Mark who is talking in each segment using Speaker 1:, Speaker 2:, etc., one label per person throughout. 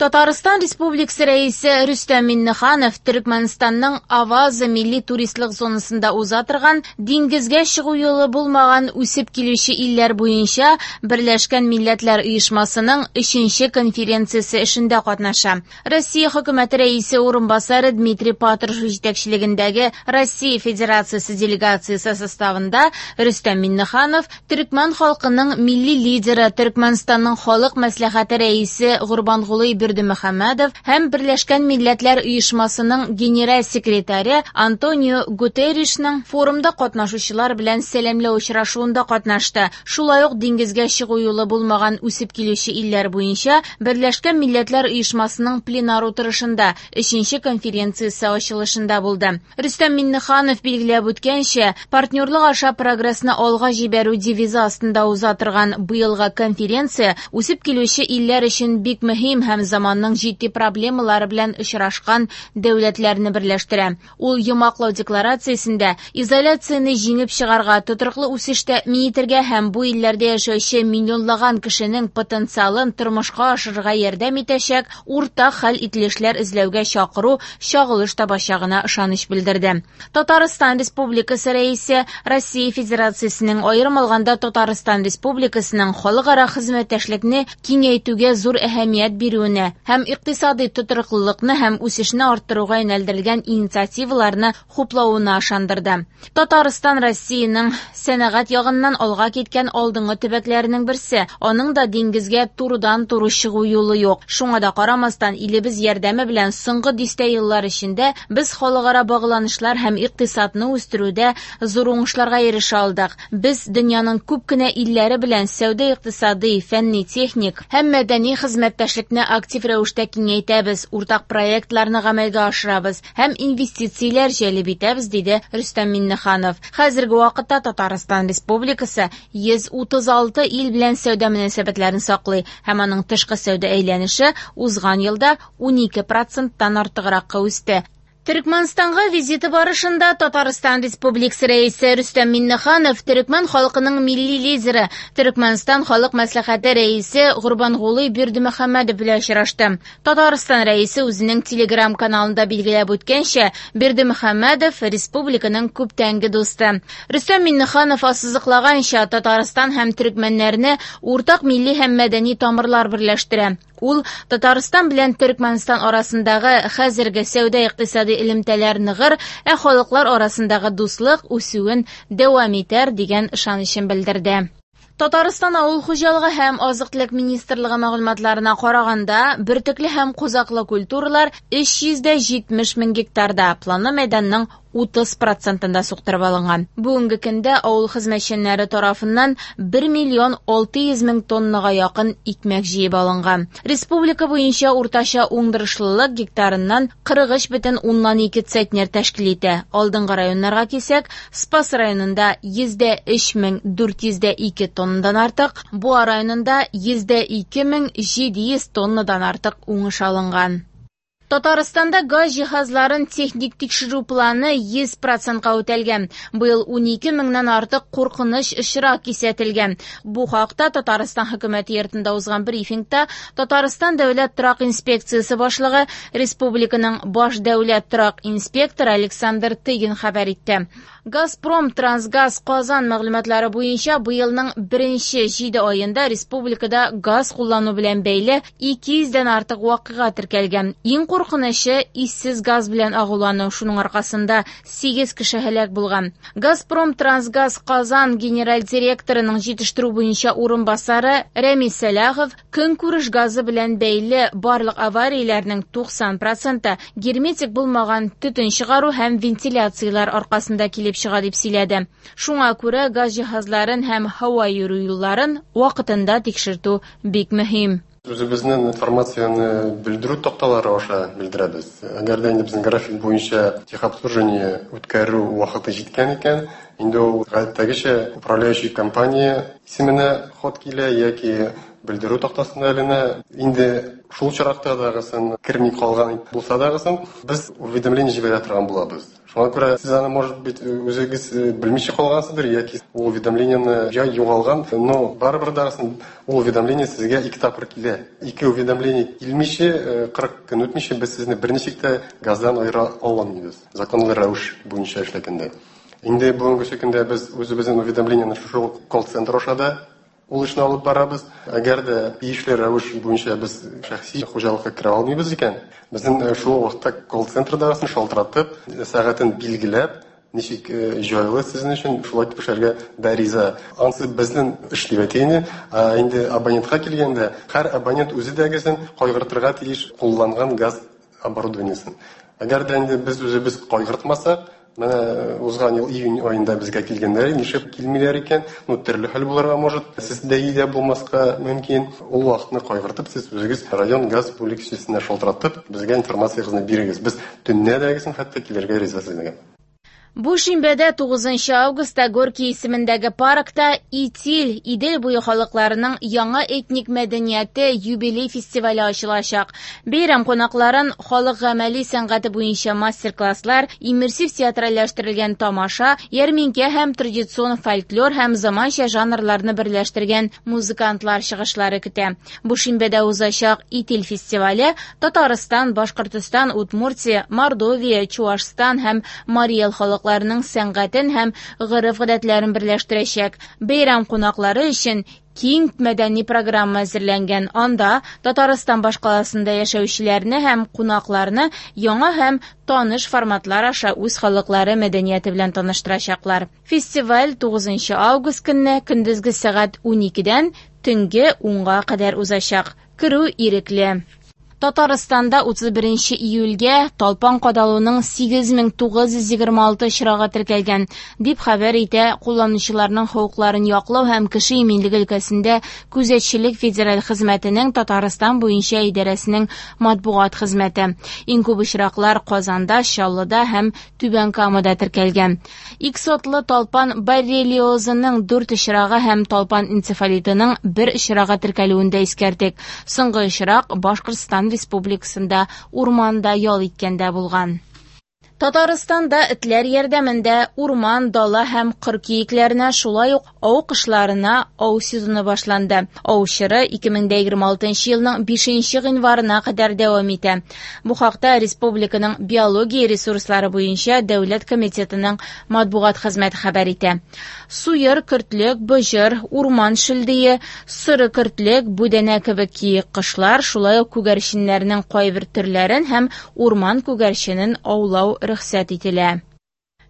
Speaker 1: Татарстан Республикасы Рәисе Рөстәм Миңнеханов Төрекмәнстанның Аваза милли туристлык зонасында уза торган диңгезгә чыгу юлы булмаган үсеп килүче илләр буенча Берләшкән Милләтләр Оешмасының өченче конференциясе эшендә катнаша. Россия Хөкүмәте Рәисе урынбасары Дмитрий Патрушев җитәкчелегендәге Россия Федерациясе делегациясе составында Рөстәм Миңнеханов Төрекмән халкының милли лидеры, Төрекмәнстанның Халык мәслихәте рәисе Гурбангулы Бердымөхәммәдов һәм Берләшкән Милләтләр Оешмасының генераль секретаре Антонио Гутерришның форумда катнашучылар белән сәламләү очрашуында катнашты. Шулай ук диңгезгә чыгу юлы булмаган үсеп килүче илләр буенча Берләшкән Милләтләр Оешмасының пленар утырышында өченче конференциясе ачылышында булды. Рөстәм Миңнеханов билгеләп үткәнчә, партнерлык аша прогрессны алга җибәрү девизы астында уза торган быелгы конференция үсеп килүче илләр өчен бик мөһим һәм заманның җитди проблемалары белән очрашкан дәүләтләрне берләштерә. Ул йомгаклау декларациясендә изоляцияне җиңеп чыгарга, тотрыклы үсеш тәэмин итәргә һәм бу илләрдә яшәүче миллионлаган кешенең потенциалын тормышка ашырырга ярдәм итәчәк уртак хәл ителешләр эзләүгә чакыру чагылыш табачагына ышаныч белдерде. Татарстан Республикасы Рәисе Россия Федерациясенең, аерым алганда Татарстан Республикасының халыкара хезмәттәшлекне киңәйтүгә зур әһәмият бирүенә һәм икътисадый тотрыклылыкны һәм үсешне арттыруга юнәлдерелгән инициативаларны хуплавына ышандырды. Татарстан Россиянең сәнәгать ягыннан алга киткән алдынгы төбәкләренең берсе. Аның да диңгезгә турыдан-туры чыгу юлы юк. Шуңа да карамастан, илебез ярдәме белән соңгы дистә еллар эчендә без халыкара багланышлар һәм икътисадны үстерүдә зур уңышларга ирешә алдык. Без дөньяның күп кенә илләре белән сәүдә-икътисадый, фәнни-техник һәм мәдәни хезмәттәшлекне актив рәвештә киңәйтәбез, уртак проектларны гамәлгә ашырабыз һәм инвестицияләр җәлеп итәбез, диде Рөстәм Миңнеханов. Хәзерге вакытта Татарстан Республикасы 136 ил белән сәүдә мөнәсәбәтләрен саклый һәм аның тышкы сәүдә әйләнеше узган елда 12 проценттан артыгракка үсте. Төрекмәнстанга визиты барышында Татарстан Республикасы Рәисе Рөстәм Миңнеханов төрекмән халкының милли лидеры, Төрекмәнстан Халык Мәслихәте Рәисе Гурбангулы Бердымөхәммәдов белән очрашты. Татарстан Рәисе үзенең Телеграм-каналында билгеләп үткәнчә, Бердымөхәммәдов республиканың күптәнге дусты. Рөстәм Миңнеханов ассызыклаганча, Татарстан һәм төрекмәннәрне уртак милли һәм мәдәни тамырлар берләштерә. Ул Татарстан белән Төрекмәнстан арасындагы хәзерге сәүдә-икътисади элемтәләр ныгыр, ә халыклар арасындагы дуслык үсүен дәвам итәр дигән ышанычын белдерде. Татарстан авыл хуҗалыгы һәм азык-төлек министрлыгы мәгълүматларына караганда, бөртекле һәм кузаклы культуралар 370 мең гектарда, планлы мәйданның 30 процентында суктырып алынган. Бүгенге көндә авыл хезмәтчәннәре тарафыннан 1 миллион 600 мең тоннага якын икмәк җыеп алынган. Республика буенча уртача уңдырышлылык гектарыннан 43,2 центнер тәшкил итә. Алдынгы районнарга килсәк, Спас районында 103 402 тоннадан артык, Буа районында 102 700 тоннадан артык уңыш алынган. Татарстанда газ җиһазларын техник тикшерү планы 100 процентка үтәлгән. Быел 12 меңнән артык куркыныч очрак кисәтелгән. Бу хакта Татарстан хөкүмәте йортында узган брифингта Татарстан дәүләт торак инспекциясе башлыгы, республиканың баш дәүләт торак инспекторы Александр Тыгин хәбәр итте. Газпром Трансгаз Казан мәгълүматлары буенча быелның беренче 7 аенда республикада газ куллану белән бәйле 200дән артык вакыйга теркәлгән. Иң куркынычы иссез газ белән агулану, шуның аркасында 8 кеше һәлак булган. Газпром Трансгаз Казан генераль директорының җитештерү буенча урынбасары Рәмис Сәлахов көнкүреш газы белән бәйле барлык аварияләрнең 90 проценты герметик булмаган төтен чыгару һәм вентиляцияләр аркасында килеп чыга дип сөйләде. Шуңа күрә газ җиһазларын һәм һава йөрү юлларын вакытында тикшертү бик мөһим.
Speaker 2: Үзебезнең информацияне белдерү такталары аша белдерәбез. Әгәр дә инде безнең график буенча техобслуживание үткәрү вакыты җиткән икән, инде ул гадәттәгечә управляющий компания исеменә хат килә яки Белдерү тактасында эленә. Инде шул очракта дагысын керми калган булса дагысын, без уведомление җибәрә торган булабыз. Шуңа күрә сез аны, может быть, үзегез белмичә калгансыздыр, яки ул уведомлениене я югалган, но барыбер дагысын ул уведомление сезгә 2 тапкыр килә. 2 уведомление килмичә, 40 көн үтмичә без сезне берничек тә газдан аера алмыйбыз. Законлы рәвеш буенча эшләгәндә. Инде бүгенге көндә без үзебезнең уведомлениене шушы колл-центр аша да ул эшне алып барабыз. Әгәр дә тиешле рәвеш буенча без шәхси хуҗалыкка керә алмыйбыз икән, безнең шул вакытта колл-центрда шалтыратып, сәгатен билгеләп, ничек җайлы сезнең өчен, шулай итеп эшләргә дә риза. Ансы безнең эш дип әйтәйне. Ә инде абонентка килгәндә, һәр абонент үзе дә гезен кайгыртырга тиеш кулланган газ оборудованиесен. Әгәр дә инде без үзебез кайгыртмасак, менә узган ел июнь аенда безгә килгәннәр, нишләп килмиләр икән? Ну, төрле хәл булырга может, сез дә өйдә булмаска мөмкин. Ул вакытны кайгыртып, сез үзегез район газ бүлекчәсенә шалтыратып, безгә информациягызны бирегез. Без төнлә дә гезен хәтта килергә риза сезгә.
Speaker 1: Бу шимбәдә 9 августта Горький исемендәге паркта Итил, Идел буе халыкларының яңа этник мәдәнияте юбилей фестивале ачылачак. Бәйрәм кунакларын халык гамәли сәнгате буенча мастер-класслар, иммерсив театральләштерелгән тамаша, ярминкә һәм традицион фольклор һәм заманча жанрларны берләштергән музыкантлар чыгышлары көтә. Бу шимбәдә узачак Итил фестивале Татарстан, Башкортостан, Удмуртия, Мордовия, Чуашстан һәм Марий Эл халыкларының сәнгатен һәм гореф-гадәтләрен берләштерәчәк. Бәйрәм кунаклары өчен киң мәдәни программа әзерләнгән. Анда Татарстан башкаласында яшәүчеләрне һәм кунакларны яңа һәм таныш форматлар аша үз халыклары мәдәнияте белән таныштырачаклар. Фестиваль 9 август көнне көндезге сәгать 12-дән төнге 10-га кадәр узачак. Керү ирекле. Татарстанда 31 июльгә талпан кадалуның 8926 очрагы теркәлгән, дип хәбәр итә кулланучыларның хокукларын яклау һәм кеше иминлеге өлкәсендә күзәтчелек федераль хезмәтенең Татарстан буенча идарәсенең матбугат хезмәте. Иң күп очраклар Казанда, Чаллыда һәм Түбән Камада теркәлгән. Иксотлы талпан боррелиозының 4 очрагы һәм талпан энцефалитының 1 очрагы теркәлүен дә искәртик. Соңгы очрак Башкортстан Республикасында урманда ял иткәндә булган. Татарстанда этләр ярдәмендә урман, дала һәм кыр киекләренә, шулай ук ау кошларына ау сезоны башланды. Ау чоры 2026 елның 5 гыйнварына кадәр дәвам итә. Бу хакта республиканың биология ресурслары буенча дәүләт комитетының матбугат хезмәте хәбәр итә. Суер, көртлек, быҗыр, урман шөлдие, соры көртлек, бүдәнә кебек киек кошлар, шулай ук күгәрченнәрнең кайбер төрләрен һәм урман күгәрченен аулау рөхсәт ителә.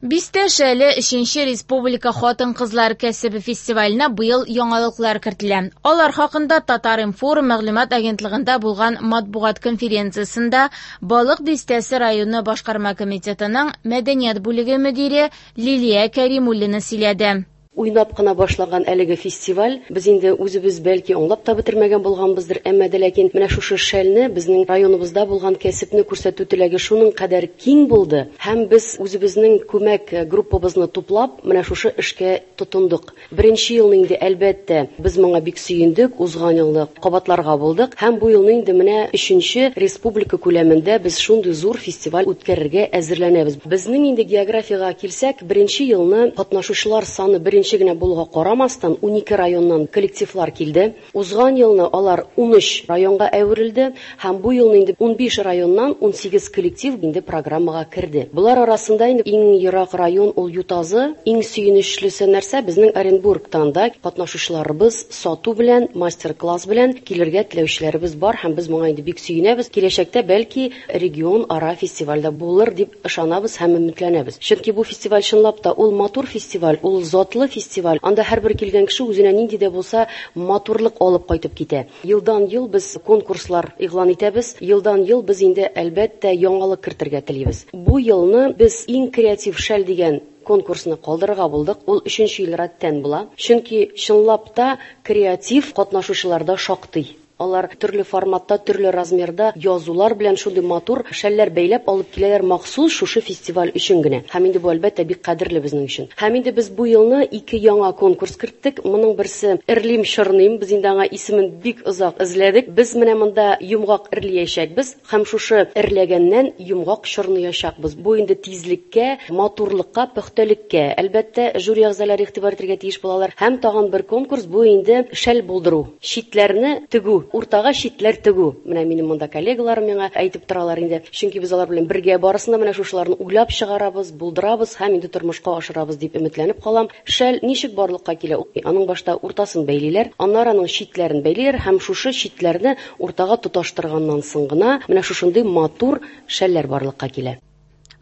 Speaker 1: Бистә Шәле 3-нче республика хатын-кызлар кәсебе фестиваленә быел яңалыклар кертелә. Алар хакында Татар-информ мәгълүмат агентлыгында булган матбугат конференциясендә Балык Бистәсе районы башкарма комитетының мәдәният бүлеге мөдире Лилия Кәримуллина сөйләде.
Speaker 3: Уйнап кына башлаган әлеге фестиваль, без инде үзебез бәлки аңлап та бетермәгән булганбыздыр, әмма дә ләкин менә шушы шәлне безнең районыбызда булган кәсепне күрсәтү теләге шуның кадәр киң булды, һәм без үзебезнең күмәк группабызны туплап, менә шушы эшкә тотындык. Беренче елны инде әлбәттә без моңа бик сөендек, узган елны кабатларга булдык, һәм бу елны инде менә 3-нче республика күләмендә без шундый зур фестиваль үткәрергә әзерләнәбез. Безнең инде географиягә килсәк, беренче елны катнашучылар саны беренче генә булуга карамастан 12 районнан коллективлар килде. Узган елны алар 13 районга әверелде һәм бу елны инде 15 районнан 18 коллектив инде программага керде. Булар арасында инде иң ерак район ул Ютазы, иң сөенечлесе нәрсә безнең Оренбургтан да катнашучыларыбыз сату белән, мастер-класс белән килергә теләүчеләребез бар һәм без моңа инде бик сөенәбез. Киләчәктә бәлки регион ара фестивальдә булыр дип ышанабыз һәм өметләнәбез. Чөнки бу фестиваль чынлап та ул матур фестиваль, ул затлы фестиваль. Анда һәрбер килгән кеше үзенә нинди дә булса матурлык алып кайтып китә. Елдан ел без конкурслар игълан итәбез. Елдан ел без инде әлбәттә яңалык кертергә телибез. Бу елны без иң креатив шәл дигән конкурсны калдырырга булдык. Ул 3 ел рәттән була. Чөнки чынлап та креатив катнашучыларда шактый. Алар төрле форматта, төрле размерда язулар белән шундый матур шәлләр бәйләп алып киләләр махсус шушы фестиваль өчен генә. Һәм инде бу, әлбәттә, бик кадерле безнең өчен. Һәм инде без бу елны ике яңа конкурс керттек. Моның берсе Эрлим чорныйм. Без инде аңа исемен бик озак эзләдек. Без менә монда йомгак эрлиячәкбез һәм шушы эрләгәннән йомгак чорныячакбыз. Бу инде тизлеккә, матурлыкка, пөхтәлеккә, әлбәттә, жюри әгъзалары игътибар итәргә тиеш булалар. Һәм тагын бер конкурс, бу инде шәл булдыру, читләрне тегү, уртага читләр тегү. Менә минем монда коллегаларым миңа әйтеп торалар инде. Чөнки без алар белән бергә барысын да менә шушыларны уйлап чыгарабыз, булдырабыз һәм инде тормышка ашырабыз дип өметләнеп калам. Шәл ничек барлыкка килә? Аның башта уртасын бәйлиләр, аннары аның читләрен бәйлиләр һәм шушы читләрне уртага тоташтырганнан соң гына менә шушындый матур шәлләр барлыкка килә.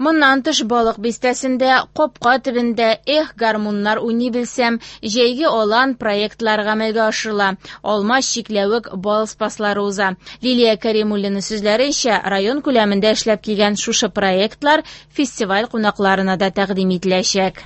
Speaker 1: Моннан тыш Балык бистәсендә, Капка төбендә Эх, гармуннар уйный белсәм, Җәйге алан проектлары гамәлгә ашырыла. Алма, чикләвек, бал спаслары уза. Лилия Кәримуллина сүзләренчә, район күләмендә эшләп килгән шушы проектлар фестиваль кунакларына да тәкъдим ителәчәк.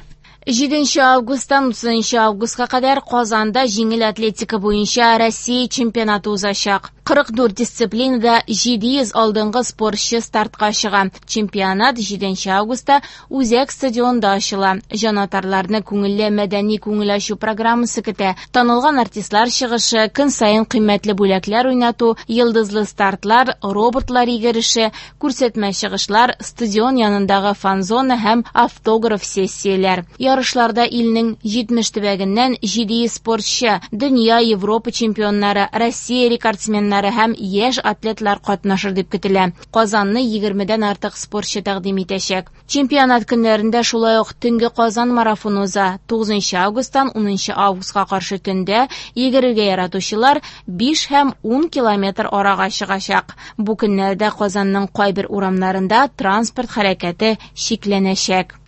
Speaker 1: 7 августтан 30 августка кадәр Казанда җиңел атлетика буенча Россия чемпионаты узачак. 44 дисциплинада 700 алдынгы спортчы стартка чыга. Чемпионат 7 августта Үзәк стадионда ачыла. Җанатарларны күңелле мәдәни күңел ачу программасы көтә. Танылган артистлар чыгышы, көн саен кыйммәтле бүләкләр уйнату, йолдызлы стартлар, роботлар йөгереше, күрсәтмә чыгышлар, стадион янындагы фан-зона һәм автограф сессияләр. Ярышларда илнең 70 төбәгеннән 700 спортчы, дөнья, Европа чемпионнары, Россия рекордсменнары һәм яшь атлетлар катнашыр дип көтелә. Казанны 20дән артык спортчы тәкъдим итәчәк. Чемпионат көннәрендә шулай ук Төнге Казан марафоны уза. 9 августтан 10 августка каршы төндә йөгерергә яратучылар 5 һәм 10 километр арага чыгачак. Бу көннәрдә Казанның кайбер урамнарында транспорт хәрәкәте чикләнәчәк.